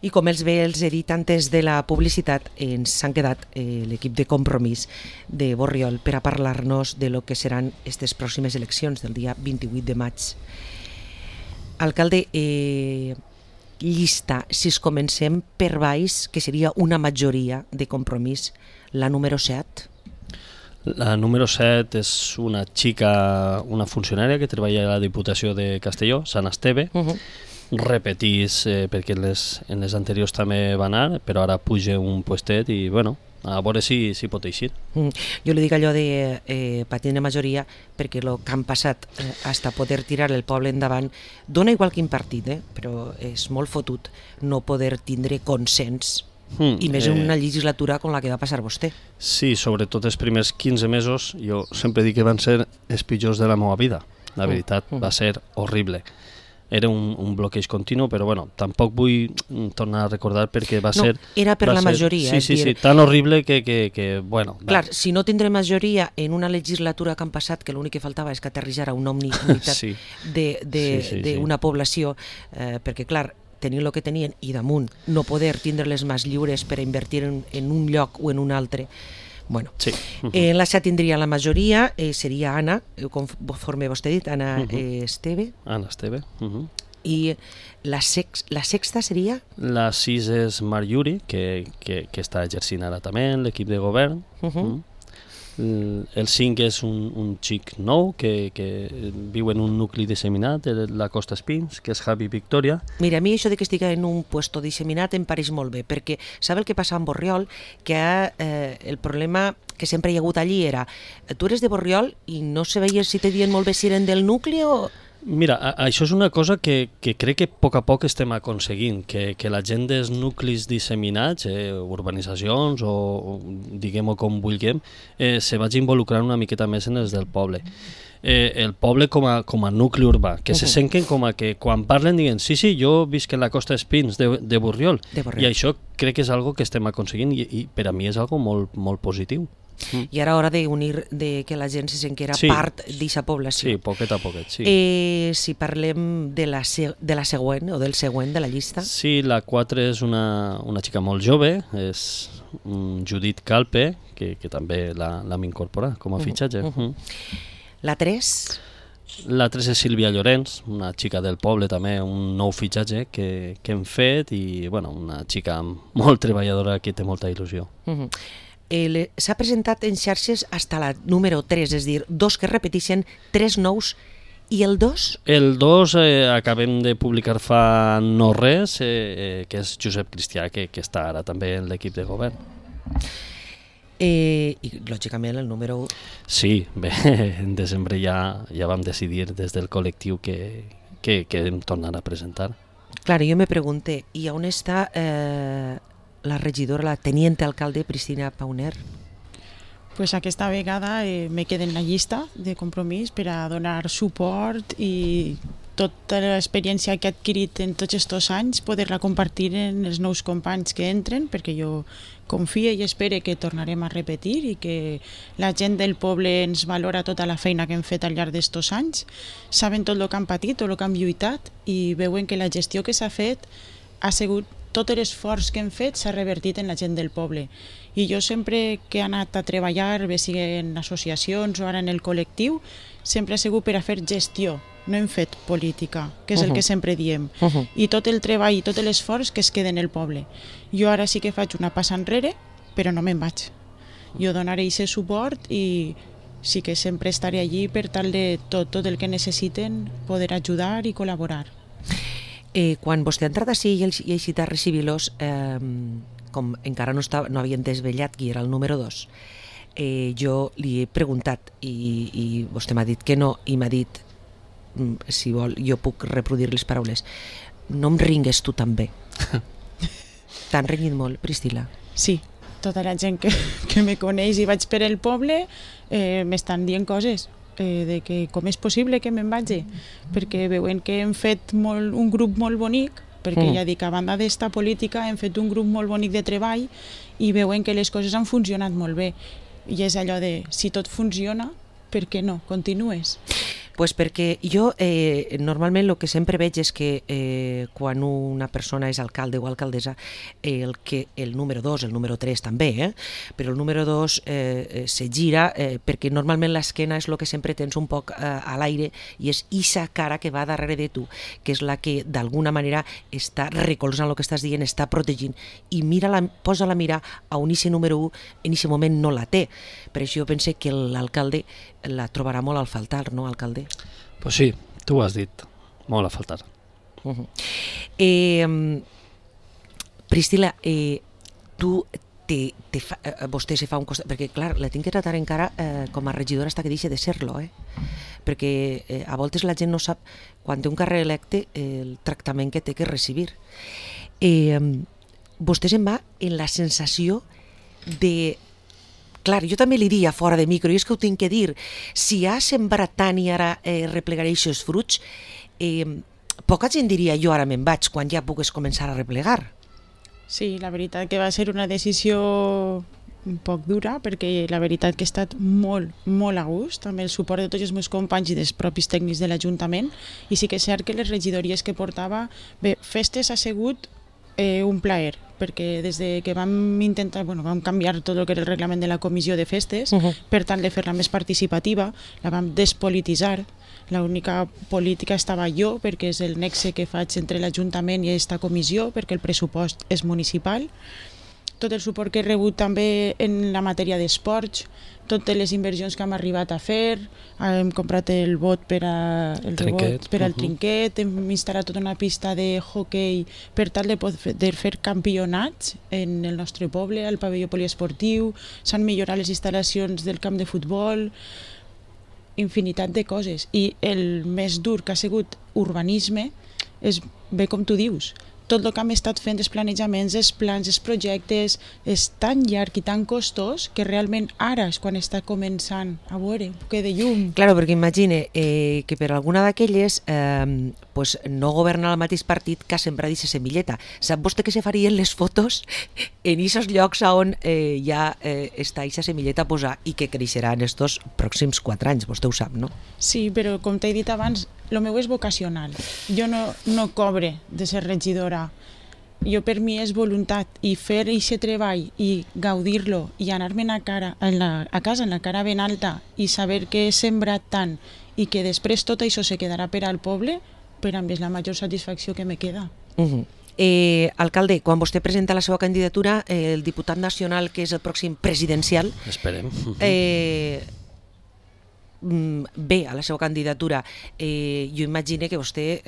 I com els bé els he dit antes de la publicitat, ens s'han quedat l'equip de Compromís de Borriol per a parlar-nos de lo que seran aquestes pròximes eleccions del dia 28 de maig. Alcalde, llista, si es comencem per baix, que seria una majoria de Compromís, la número 7. La número 7 és una xica, una funcionària que treballa a la Diputació de Castelló, Sant Esteve. Repetís, perquè en les anteriors també va anar, però ara puja un puestet i, bueno, a veure si pot eixir. Jo li dic allò de patir de majoria perquè el que han passat hasta poder tirar el poble endavant dona igual quin partit, però és molt fotut no poder tindre consens i més en una legislatura com la que va passar vostè. Sí, sobretot els primers 15 mesos jo sempre dic que van ser els pitjors de la meva vida. La veritat, va ser horrible. Era un bloqueig continu, però bueno, tampoc vull tornar a recordar perquè va ser... No, era per la majoria. Sí, tan horrible que bueno... Clar, si no tindré majoria en una legislatura que han passat, que l'únic que faltava és que aterrissara una unitat d'una població, perquè clar, tenien el que tenien i damunt no poder tindre-les més lliures per a invertir en un lloc o en un altre. Bueno, sí. La 7 tindria la majoria, seria Anna, conforme vostè ha dit, Anna Esteve. Anna Esteve. I la sexta seria? La 6 és Marc Yuri, que està exercint ara també en l'equip de govern. El 5 és un xic nou que viu en un nucli disseminat de la Costa Espins, que és Javi Victoria. Mira, a mi això de que estigui en un puesto disseminat em pareix molt bé, perquè sabe el que passa amb Borriol? Que el problema que sempre hi ha hagut allí era tu eres de Borriol i no se veia si te dient molt bé si eren del nucli o... Mira, això és una cosa que crec que a poc estem aconseguint, que la gent dels nuclis disseminats, urbanitzacions o diguem-ho com vulguem, se vagi involucrant una miqueta més en els del poble. El poble com a nucli urbà, que se senten com a que quan parlen diguen sí, jo visc en la Costa Espins de Borriol, i això crec que és algo que estem aconseguint i per a mi és algo molt, molt positiu. I ara hora d'unir, que la gent se sent que era part d'aquesta població. Sí, poquet a poquet, sí. Si parlem de la següent o del següent de la llista. Sí, la 4 és una xica molt jove, és Judit Calpe, que també l'hem incorporat com a fitxatge. La 3? La 3 és Sílvia Llorenç, una xica del poble també, un nou fitxatge que hem fet i bueno, una xica molt treballadora que té molta il·lusió. S'ha presentat en xarxes fins a la número 3, és a dir, 2 que repeteixen, 3 nous, i el 2? El 2 acabem de publicar fa no res, que és Josep Cristià, que està ara també en l'equip de govern. I lògicament el número 1? Sí, bé, en desembre ja vam decidir des del col·lectiu que hem tornat a presentar. Clar, jo me pregunté, i on està la regidora, la teniente alcalde Priscina Pauner? Pues aquesta vegada me quedo en la llista de Compromís per a donar suport i tota l'experiència que he adquirit en tots aquests anys poder-la compartir en els nous companys que entren, perquè jo confio i espero que tornarem a repetir i que la gent del poble ens valora tota la feina que hem fet al llarg d'estos anys, saben tot el que han patit, tot el que han lluitat i veuen que la gestió que s'ha fet ha sigut tot l'esforç que hem fet s'ha revertit en la gent del poble. I jo sempre que he anat a treballar, bé sigui en associacions o ara en el col·lectiu, sempre he sigut per a fer gestió, no hem fet política, que és el que sempre diem. I tot el treball i tot l'esforç que es queda en el poble. Jo ara sí que faig una passa enrere, però no me'n vaig. Jo donaré aquest suport i sí que sempre estaré allí per tal de tot el que necessiten poder ajudar i col·laborar. Quan vostè ha entrat així i ha eixit a recibir-los, com encara no havien desvetllat qui era el número 2, jo li he preguntat i vostè m'ha dit que no i m'ha dit, si vol, jo puc reproduir les paraules, no em ringues tu també. T'han renyit molt, Priscila? Sí, tota la gent que me coneix i vaig per el poble m'estan dient coses de que com és possible que me'n vagi, perquè veuen que hem fet un grup molt bonic, perquè ja dic, a banda d'esta política hem fet un grup molt bonic de treball i veuen que les coses han funcionat molt bé i és allò de, si tot funciona, per què no? Continues. Pues perquè jo normalment el que sempre veig és que quan una persona és alcalde o alcaldessa, el número 2, el número 3 també, però el número 2 se gira perquè normalment l'esquena és el que sempre tens un poc a l'aire i és ixa cara que va darrere de tu, que és la que d'alguna manera està recolzant el que estàs dient, està protegint, i posa la mira a un ixe número 1, en ixe moment no la té. Per això jo pense que l'alcalde la trobarà molt al faltar, no, alcalde? Pues sí, tu ho has dit, molt a faltar. Priscila, vostè se fa un costat, perquè clar, la tinc que tratar encara com a regidora hasta que deixi de ser-lo, perquè a voltes la gent no sap, quan té un càrrec electe, el tractament que té que recibir. Vostè se'n va en la sensació de... Clar, jo també li dia fora de micro, i és que ho tinc que dir, si ha sembrat tant i ara replegaré aquests fruits, poca gent diria jo ara me'n vaig quan ja pugues començar a replegar. Sí, la veritat que va ser una decisió un poc dura, perquè la veritat que he estat molt, molt a gust, amb el suport de tots els meus companys i dels propis tècnics de l'Ajuntament, i sí que és cert que les regidories que portava, bé, festes ha sigut un plaer, perquè des de que vam canviar tot el que era el reglament de la comissió de festes, per tant de fer-la més participativa, la vam despolititzar, l'única política estava jo, perquè és el nexe que faig entre l'Ajuntament i aquesta comissió, perquè el pressupost és municipal, tot el suport que he rebut també en la matèria d'esports, totes les inversions que hem arribat a fer, hem comprat el bot per al trinquet, hem instal·lat tota una pista de hoquei per tal de poder fer campionats en el nostre poble, al pavelló poliesportiu, s'han millorat les instal·lacions del camp de futbol, infinitat de coses. I el més dur que ha sigut urbanisme és, bé com tu dius, tot el que hem estat fent, els planejaments, els plans, els projectes, és tan llarg i tan costós que realment ara és quan està començant a veure un poc de llum. Claro, perquè imagine que per alguna d'aquelles no governa el mateix partit que ha sembrat aquesta semilleta. Sap vostè que se farien les fotos en aquests llocs on ja està aquesta semilleta a posar i que creixerà en estos pròxims 4 anys, vostè ho sap, no? Sí, però com t'he dit abans, el meu és vocacional. Jo no cobre de ser regidora. Jo per mi és voluntat, i fer aquest treball i gaudir-lo i anar-me'n a casa en la cara ben alta i saber que he sembrat tant i que després tot això se quedarà per al poble, per a mi és la major satisfacció que me queda. Alcalde, quan vostè presenta la seva candidatura, el diputat nacional, que és el pròxim presidencial, esperem, bé a la seva candidatura, jo imagino que vostè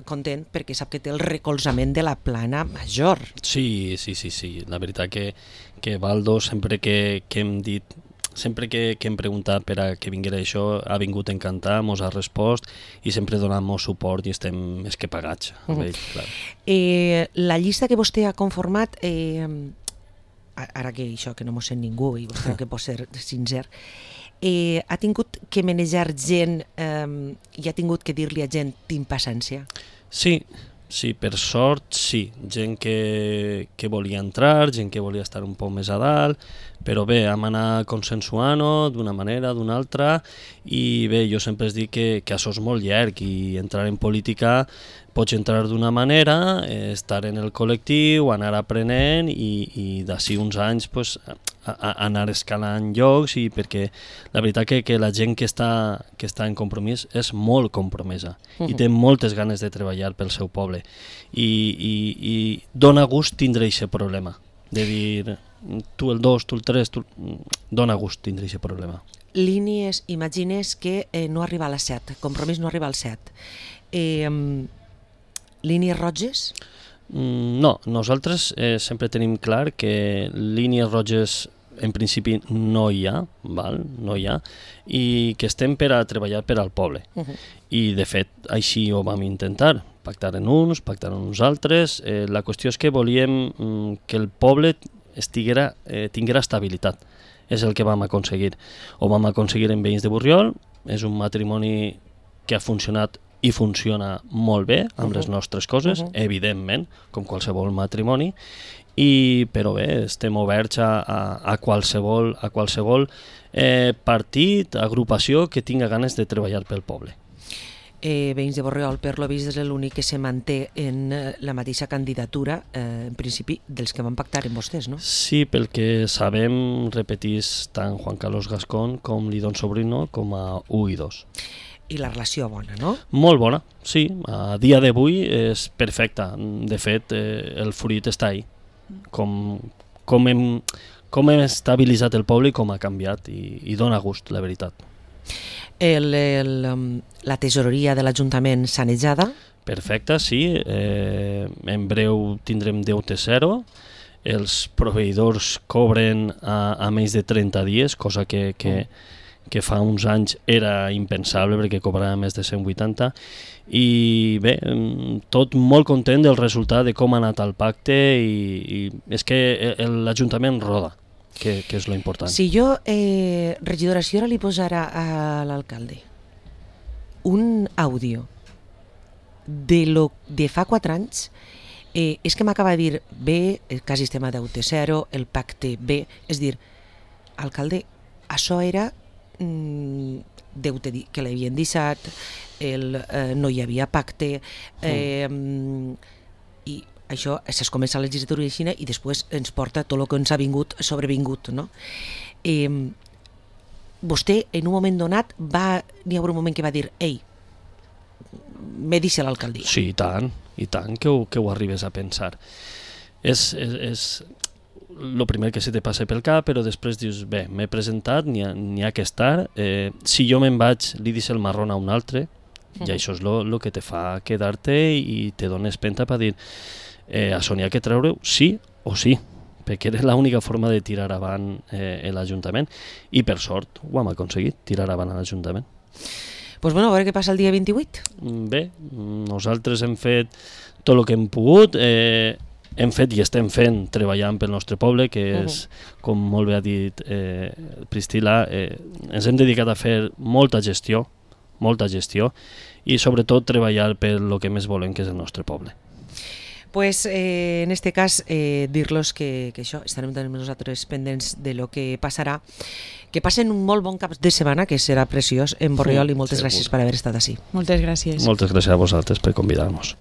content perquè sap que té el recolzament de la plana major. Sí, la veritat que Baldo, sempre que hem dit, sempre que hem preguntat per a que vinguera això, ha vingut encantat, mos ha respost i sempre donant-nos suport i estem més que pagats amb ell, clar. La llista que vostè ha conformat, ara que això que no mos sent ningú i vostè que pot ser sincer, ha tingut que manejar gent i ha tingut que dir-li a gent tinc paciència? Sí, per sort sí, gent que volia entrar, gent que volia estar un poc més a dalt, però bé, hem anat consensuant-ho d'una manera, d'una altra, i bé, jo sempre dic que això és molt llarg i entrar en política pots entrar d'una manera, estar en el col·lectiu, anar aprenent i d'ací uns anys anar escalant llocs, i perquè la veritat que la gent que està en compromís és molt compromesa i té moltes ganes de treballar pel seu poble i dona gust tindre aquest problema de dir tu el 2, tu el 3, dona gust tindre aquest problema. Línies, imagines que no arriba a les 7, compromís no arriba al 7. Línies roges? No, nosaltres sempre tenim clar que línies roges en principi no hi ha, no hi ha, i que estem per a treballar per al poble. I de fet així ho vam intentar, pactar en uns, pactar en uns altres. La qüestió és que volíem que el poble tinguera estabilitat. És el que vam aconseguir. Ho vam aconseguir en Veïns de Borriol, és un matrimoni que ha funcionat i funciona molt bé amb les nostres coses, evidentment, com qualsevol matrimoni, però bé, estem oberts a qualsevol partit, agrupació que tinga ganes de treballar pel poble. veïns de Borriol, per lo vist és l'únic que se manté en la mateixa candidatura, en principi, dels que van pactar amb vostès, no? Sí, pel que sabem, repetís tant Juan Carlos Gascón com Lidón Sobrino com a 1 i 2. I la relació bona, no? Molt bona, sí. A dia d'avui és perfecta. De fet, el fruit està ahí. Com hem estabilitzat el poble i com ha canviat, i dona gust, la veritat. La tesoreria de l'Ajuntament sanejada? Perfecte, sí. En breu tindrem deute zero. Els proveïdors cobren a menys de 30 dies, cosa que fa uns anys era impensable perquè cobrava més de 180, i bé, tot molt content del resultat de com ha anat el pacte, i és que l'Ajuntament roda, que és lo important. Si jo, regidora, si ara li posara a l'alcalde un àudio de fa 4 anys, és que m'acaba de dir, bé, quasi estem a deute zero, el pacte bé, és dir, alcalde, això era deute que l'havien deixat, no hi havia pacte, i això es comença a la legislatura de Xina i després ens porta tot el que ens ha sobrevingut, no? Vostè en un moment donat n'hi ha un moment que va dir, ei, me deixa l'alcaldia. Sí, i tant que ho arribes a pensar. És el primer que se te passa pel cap, però després dius, bé, m'he presentat, n'hi ha que estar, si jo me'n vaig, li deixo el marrón a un altre, i això és el que te fa quedar-te i te dones penta per dir, això n'hi ha que treure-ho sí o sí, perquè era l'única forma de tirar avant l'Ajuntament, i per sort ho hem aconseguit, tirar avant l'Ajuntament. Doncs bueno, a veure què passa el dia 28. Bé, nosaltres hem fet tot el que hem pogut, hem fet i estem fent treballant pel nostre poble, que és, com molt bé ha dit Priscila, ens hem dedicat a fer molta gestió, i sobretot treballar per el que més volem, que és el nostre poble. Pues en este cas dir-los que això, estarem també nosaltres pendents de lo que passarà, que passen un molt bon cap de setmana, que serà preciós en Borriol, i moltes gràcies per haver estat ací. Moltes gràcies. Moltes gràcies a vosaltres per convidar-nos.